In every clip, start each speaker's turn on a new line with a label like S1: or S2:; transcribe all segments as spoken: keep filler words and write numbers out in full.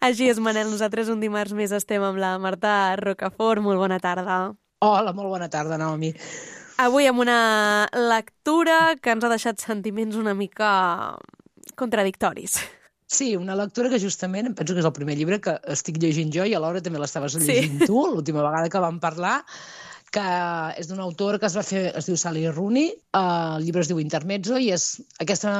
S1: Així és, Manel. Nosaltres un dimarts més estem amb la Marta Rocafort. Molt bona tarda.
S2: Hola, molt bona tarda, Naomi.
S1: Avui amb una lectura que ens ha deixat sentiments una mica contradictoris.
S2: Sí, una lectura que justament em penso que és el primer llibre que estic llegint jo i alhora també l'estaves llegint sí. tu, l'última vegada que vam parlar, que és d'una autora que es va fer, es diu Sally Rooney, uh, el llibre es diu Intermezzo i és aquesta...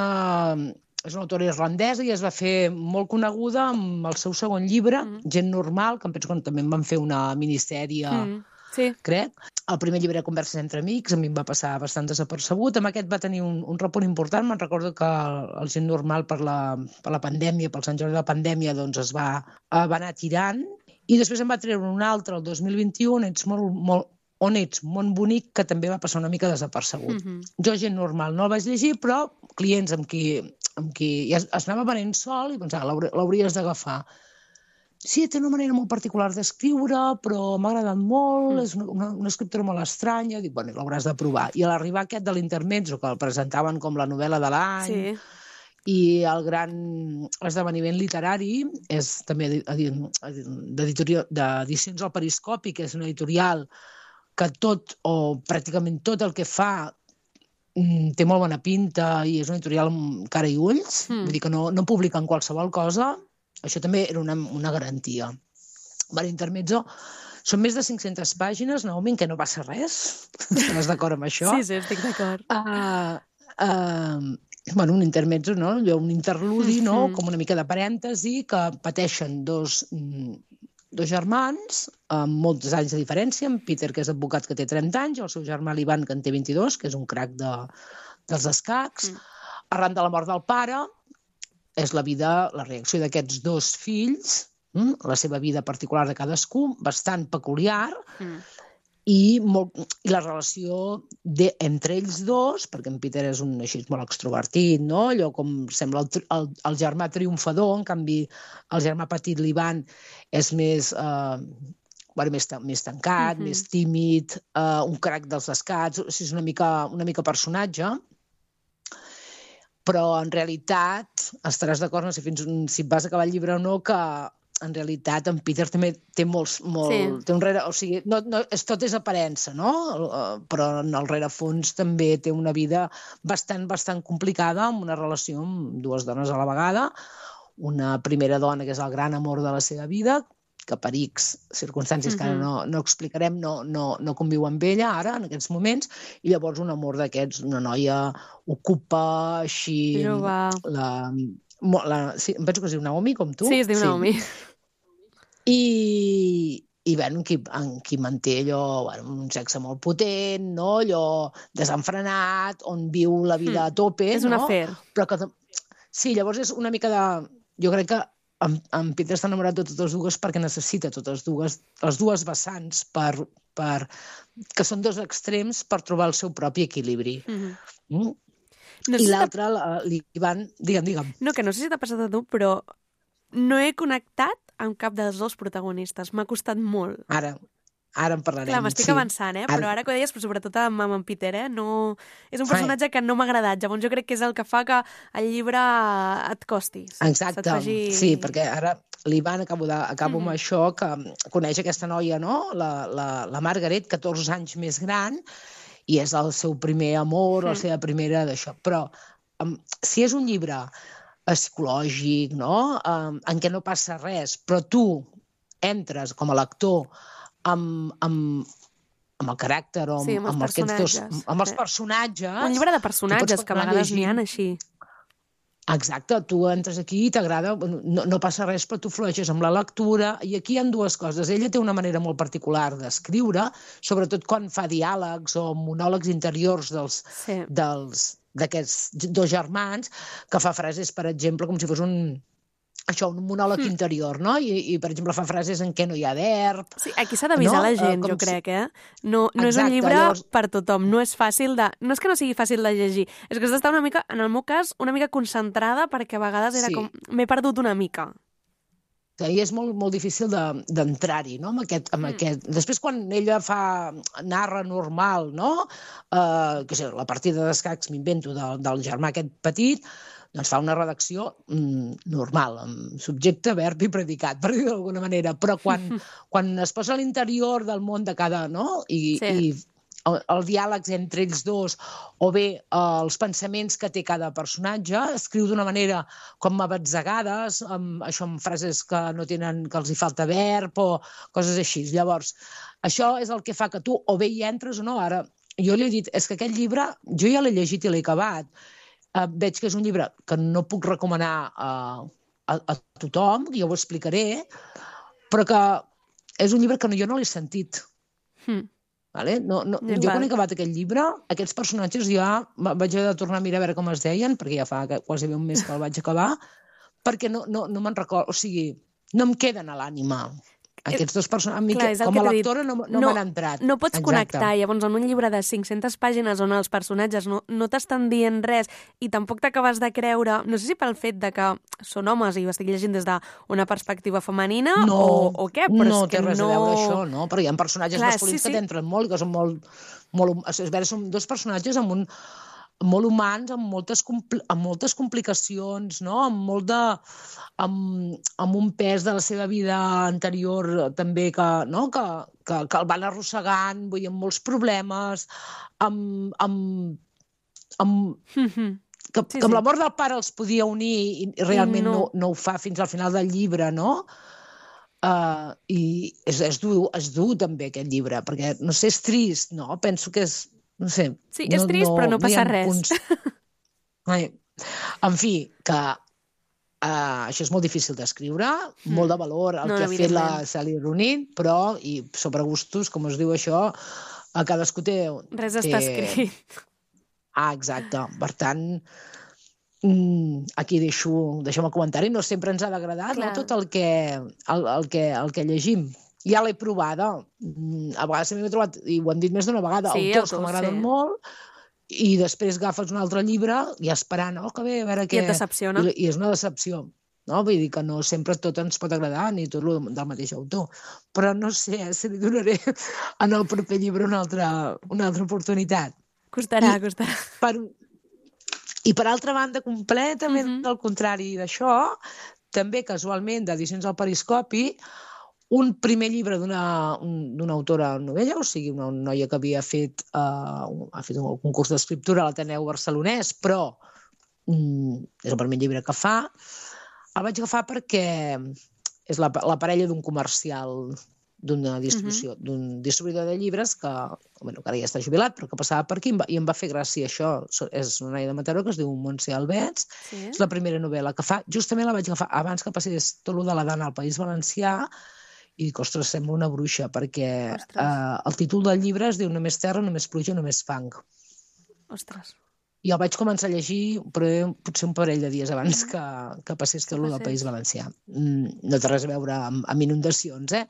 S2: És una autora irlandesa i es va fer molt coneguda amb el seu segon llibre, mm. Gent normal, que em penso que també en van fer una minissèrie, mm.
S1: sí.
S2: crec. El primer llibre de Converses entre amics, a mi em va passar bastant desapercebut. Amb aquest va tenir un, un repunt important. Me'n recordo que el, el Gent normal per la, per la pandèmia, pel Sant Jordi de la pandèmia, doncs es va, va anar tirant. I després em va treure un altre, el dos mil vint-i-u, on ets molt, molt, on ets, Món bonic, que també va passar una mica desapercebut. Mm-hmm. Jo, Gent normal, no el vaig llegir, però clients amb qui, amb qui ja es anava venent sol i pensava, l'hauries d'agafar. Sí, té una manera molt particular d'escriure, però m'ha agradat molt, mm. és una, una, una escriptora molt estranya, dic, bueno, l'hauràs de provar. I a l'arribar aquest de l'Intermezzo, que el presentaven com la novel·la de l'any, sí. i el gran esdeveniment literari és també d'edicions al Periscopi, que és una editorial que tot, o pràcticament tot el que fa té molt bona pinta i és una editorial amb cara i ulls, mm. vull dir que no, no publiquen qualsevol cosa. Això també era una, una garantia. Per Intermezzo són més de cinc-centes pàgines, Naomi, en què no passa res. Estàs d'acord amb això?
S1: Sí, sí, estic d'acord.
S2: Uh, uh, bueno, un intermezzo, no? Un interludi, mm-hmm. no? Com una mica de parèntesi, que pateixen dos, dos germans amb molts anys de diferència. En Peter, que és advocat, que té trenta anys, i el seu germà l'Ivan, que en té vint-i-dos, que és un crac de, dels escacs. Mm. Arran de la mort del pare, és la vida, la reacció d'aquests dos fills, hm? la seva vida particular de cadascú, bastant peculiar, mm. i, molt, i la relació de, entre ells dos, perquè en Peter és un així molt extrovertit, no? Allò com sembla el, el, el germà triomfador, en canvi el germà petit, l'Ivan, és més... Eh, bueno, més, més tancat, mm-hmm. més tímid, eh, un crac dels escats, o sigui, és una mica, una mica personatge, però en realitat estaràs d'acord, no sé fins on, si vas acabar el llibre o no, que en realitat en Peter també té molts, molt, sí. té un rere, o sigui, no, no, és, tot és aparença, no? Però en el rerefons també té una vida bastant, bastant complicada, amb una relació amb dues dones a la vegada, una primera dona que és el gran amor de la seva vida, que per X circumstàncies mm-hmm. que ara no, no explicarem, no, no, no conviu amb ella ara, en aquests moments, i llavors un amor d'aquests, una noia ocupa així...
S1: La,
S2: la, sí, em penso que es diu Naomi, com tu.
S1: Sí, es diu sí. Naomi.
S2: I, i bueno, en qui, en qui manté allò, bueno, un sexe molt potent, no? Allò desenfrenat, on viu la vida mm. a tope.
S1: És un
S2: no?
S1: afer.
S2: Però que, sí, llavors és una mica de... Jo crec que en, en Peter està enamorat de totes dues perquè necessita totes dues, les dues vessants per, per, que són dos extrems per trobar el seu propi equilibri. Mm-hmm. Mm? No I l'altre, l'Ivan... Digue'm, digue'm.
S1: No, que no sé si t'ha passat a tu, però no he connectat amb cap dels dos protagonistes. M'ha costat molt.
S2: Ara, ara en parlarem.
S1: Clar, m'estic
S2: sí.
S1: avançant, eh? Ara... Però ara que ho deies, però sobretot amb, amb en Peter, eh? No... És un personatge Ai. que no m'ha agradat. Llavors jo crec que és el que fa que el llibre et costi.
S2: Exacte, faci... sí, perquè ara l'Ivan, acabo, de, acabo mm. amb això, que coneix aquesta noia, no? La, la, la Margaret, catorze anys més gran, i és el seu primer amor, mm. la seva primera d'això. Però um, si és un llibre psicològic, no? Um, en què no passa res, però tu entres com a lector amb, amb, amb el caràcter o amb,
S1: sí, amb, els
S2: amb, aquests dos, amb els
S1: sí.
S2: personatges...
S1: Un llibre de personatges, que a vegades n'hi ha així.
S2: Exacte, tu entres aquí i t'agrada, no, no passa res, però tu flueixes amb la lectura, i aquí hi ha dues coses. Ella té una manera molt particular d'escriure, sobretot quan fa diàlegs o monòlegs interiors dels, sí. dels, d'aquests dos germans, que fa frases, per exemple, com si fos un... això, un monòleg mm. interior, no? I, I, per exemple, fa frases en què no hi ha verb...
S1: Sí, aquí s'ha d'avisar no? la gent, uh, jo crec, eh? No, no Exacte, és un llibre llavors... per tothom, no és fàcil de... No és que no sigui fàcil de llegir, és que has d'estar una mica, en el meu cas, una mica concentrada, perquè a vegades era sí. com... M'he perdut una mica.
S2: I és molt, molt difícil d'entrar-hi, de, no? Amb aquest, amb mm. aquest... Després, quan ella fa... narra normal, no? Uh, que sé, la partida d'escacs, m'invento, del, del germà aquest petit, doncs fa una redacció mm, normal, amb subjecte, verb i predicat, per dir-ho d'alguna manera, però quan, quan es posa a l'interior del món de cada, no? I, sí. i el, el diàleg entre ells dos, o bé eh, els pensaments que té cada personatge, escriu d'una manera com abatzegades, amb, això amb frases que no tenen, que els hi falta verb, o coses així. Llavors, això és el que fa que tu o bé hi entres o no. Ara, jo li he dit, és que aquest llibre, jo ja l'he llegit i l'he acabat. Uh, veig que és un llibre que no puc recomanar uh, a, a tothom, ja ho explicaré, però que és un llibre que no, jo no l'he sentit.
S1: Hmm.
S2: Vale? No, no, jo quan he acabat aquest llibre, aquests personatges ja vaig haver de tornar a mirar a veure com es deien, perquè ja fa quasi un mes que el vaig acabar, perquè no, no, no me'n recordo, o sigui, no em queden a l'ànima. Aquests dos personatges, Clar, com a lectora no, no, no m'han entrat.
S1: No pots Exacte. Connectar, llavors en un llibre de cinc-centes pàgines on els personatges no, no t'estan dient res i tampoc t'acabes de creure, no sé si pel fet de que són homes i ho estic llegint des d'una perspectiva femenina
S2: no,
S1: o, o què, però
S2: no
S1: és que
S2: té res
S1: no...
S2: a veure això, no? Perquè hi ha personatges
S1: Clar,
S2: masculins
S1: sí, sí.
S2: que t'entren molt, que són molt... molt és a veure, són dos personatges amb un molt humans, amb moltes, amb moltes complicacions, no? amb, molt de, amb, amb un pes de la seva vida anterior també que, no? que, que, que el van arrossegant, vull dir, amb molts problemes, amb, amb, amb,
S1: Mm-hmm.
S2: que,
S1: Sí,
S2: que amb
S1: sí.
S2: la mort del pare els podia unir i realment
S1: no.
S2: no, no ho fa fins al final del llibre, no? Uh, I és, és, dur, és dur també aquest llibre, perquè, no sé, és trist, no? Penso que és... No sé,
S1: Sí, és trist, no, però no passa res.
S2: Punts... Ai. En fi, que uh, això és molt difícil d'escriure, mm. molt de valor el
S1: no,
S2: que ha fet la Sally Rooney, però, i sobre gustos, com es diu això, a cadascú té...
S1: Res
S2: té...
S1: està escrit.
S2: Ah, exacte. Per tant, aquí deixo, deixem el comentari. No sempre ens ha d'agradar no, tot el que, el, el, que, el que llegim. Ja l'he provada. A vegades m'he trobat, i ho hem dit més d'una vegada,
S1: sí,
S2: autors que m'agraden sí. molt, i després agafes un altre llibre i esperant, oh, que bé, a veure què...
S1: I et decepciona.
S2: I, i és una decepció. No? Vull dir que no sempre tot ens pot agradar, ni tot del mateix autor. Però no sé, eh, si li donaré en el proper llibre una altra, una altra oportunitat.
S1: Costarà,
S2: I,
S1: costarà.
S2: Per, I per altra banda, completament mm-hmm. al contrari d'això, també casualment d'Edicions al Periscopi, un primer llibre d'una un, autora novella, o sigui, una noia que havia fet, uh, ha fet un concurs d'escriptura a l'Ateneu Barcelonès, però um, és el primer llibre que fa. El vaig agafar perquè és la, la parella d'un comercial d'una distribució, uh-huh. d'un distribuïdor de llibres que, bueno, que ara ja està jubilat, però que passava per aquí i em va, i em va fer gràcia això. És una noia de Mataró que es diu Montse Albets, sí. És la primera novel·la que fa. Justament la vaig agafar abans que passés tot el de la Dana al País Valencià i dic, ostres, sembla una bruixa, perquè eh, el títol del llibre es diu Només terra, només pluja, només fang.
S1: Ostres.
S2: I el vaig començar a llegir, però potser un parell de dies abans que, que passés tot el del País Valencià. No té res a veure amb, amb inundacions, eh?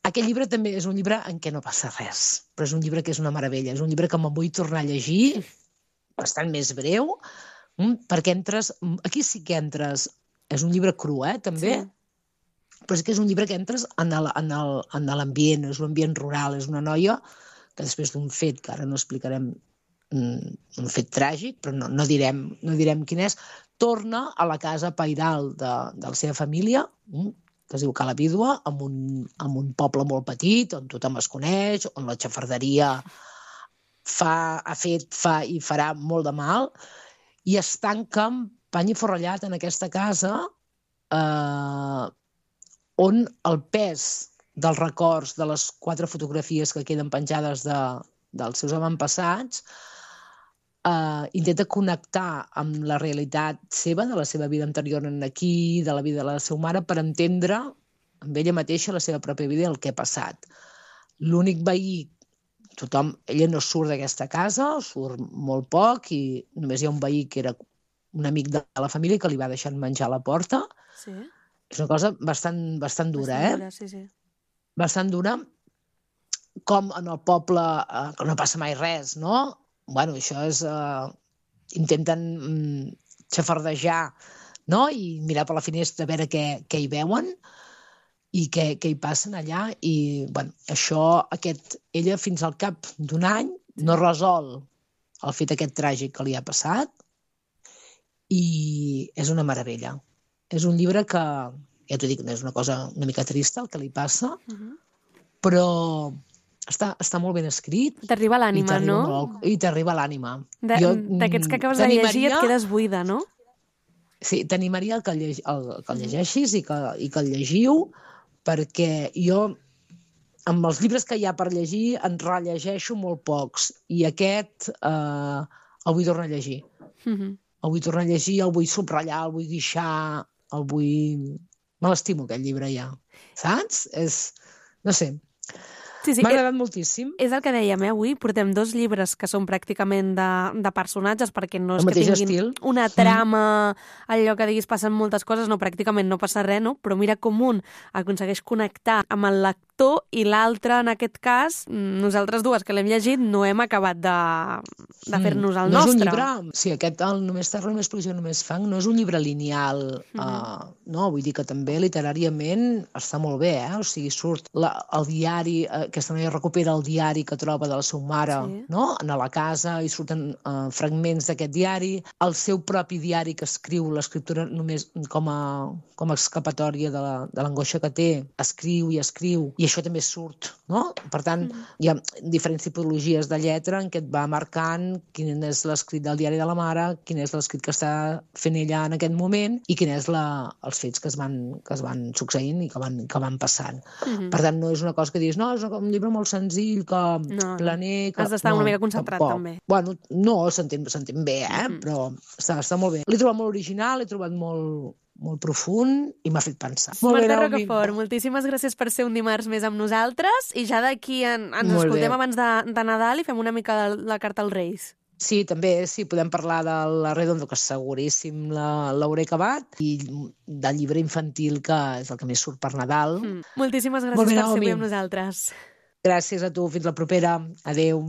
S2: Aquest llibre també és un llibre en què no passa res, però és un llibre que és una meravella. És un llibre que me'n vull tornar a llegir, bastant més breu, perquè entres... Aquí sí que entres... És un llibre cru, eh, també? Sí. Però és que és un llibre que entres en l'ambient, és un ambient rural, és una noia que després d'un fet, que ara no explicarem, un fet tràgic, però no, no, direm, no direm quin és, torna a la casa pairal de, de la seva família, que es diu Cala Vídua, en un, en un poble molt petit, on tothom es coneix, on la xafarderia fa, ha fet, fa i farà molt de mal, i es tanca amb pany i forrellat en aquesta casa, eh, on el pes dels records de les quatre fotografies que queden penjades de, dels seus avantpassats eh, intenta connectar amb la realitat seva, de la seva vida anterior en aquí, de la vida de la seva mare, per entendre amb ella mateixa la seva pròpia vida i el que ha passat. L'únic veí, tothom, ella no surt d'aquesta casa, surt molt poc, i només hi ha un veí que era un amic de la família que li va deixar menjar a la porta.
S1: Sí.
S2: És una cosa bastant, bastant dura,
S1: bastant
S2: eh?
S1: Dura, sí, sí.
S2: Bastant dura, com en el poble, eh, que no passa mai res, no? Bueno, això és... Eh, intenten mm, xafardejar, no? I mirar per la finestra a veure què, què hi veuen i què, què hi passen allà. I, bueno, això, aquest, ella fins al cap d'un any no resol el fet aquest tràgic que li ha passat i és una meravella. És un llibre que, ja t'ho dic, és una cosa una mica trista el que li passa, uh-huh. però està, està molt ben escrit.
S1: T'arriba a l'ànima, no?
S2: Molt, I t'arriba a l'ànima.
S1: D'aquests que acabes de llegir et quedes buida, no?
S2: Sí, t'animaria el que el, lleg, el, que el llegeixis i que, i que el llegiu, perquè jo, amb els llibres que hi ha per llegir, en rellegeixo molt pocs, i aquest eh, el vull tornar a llegir. Uh-huh. El vull tornar a llegir, el vull subratllar, el vull guixar, el vull... Me l'estimo, aquest llibre, ja. Saps? És... No sé... Sí, sí, m'ha agradat moltíssim.
S1: És el que dèiem, eh? Avui portem dos llibres que són pràcticament de, de personatges, perquè no és que tinguin estil. Una trama, allò que diguis passen moltes coses, no, pràcticament no passa res, no? Però mira com un aconsegueix connectar amb el lector i l'altre, en aquest cas, nosaltres dues que l'hem llegit, no hem acabat de, de fer-nos el
S2: no
S1: nostre.
S2: És un llibre, sí, aquest, el Només terra, només pluja, només fang, no és un llibre lineal, uh-huh. uh, no? Vull dir que també literàriament està molt bé, eh? O sigui, surt la, el diari... Uh, aquesta noia recupera el diari que troba de la seva mare, sí. no? A la casa, i surten uh, fragments d'aquest diari, el seu propi diari que escriu, l'escriptura només com a, com a escapatòria de l'angoixa que té, escriu i escriu, i això també surt, no? Per tant, mm. hi ha diferents tipologies de lletra en què et va marcant quin és l'escrit del diari de la mare, quin és l'escrit que està fent ella en aquest moment i quin és la, els fets que es van, que es van succeint i que van, que van passant. Mm-hmm. Per tant, no és una cosa que diguis, no, és una un llibre molt senzill, que no, planer... Que...
S1: Has d'estar no, una mica concentrat, tampoc. També.
S2: Bueno, no, s'entén bé, eh? Mm-hmm. Però està, està molt bé. L'he trobat molt original, l'he trobat molt, molt profund i m'ha fet pensar.
S1: Marta Rocafort, moltíssimes gràcies per ser un dimarts més amb nosaltres i ja d'aquí en, ens molt escoltem bé. Abans de, de Nadal i fem una mica de la carta als Reis.
S2: Sí, també, sí, podem parlar de la Redondo, que seguríssim l'hauré acabat, i del llibre infantil, que és el que més surt per Nadal. Mm.
S1: Moltíssimes gràcies per ser avui amb nosaltres.
S2: Gràcies a tu, fins la propera. Adéu.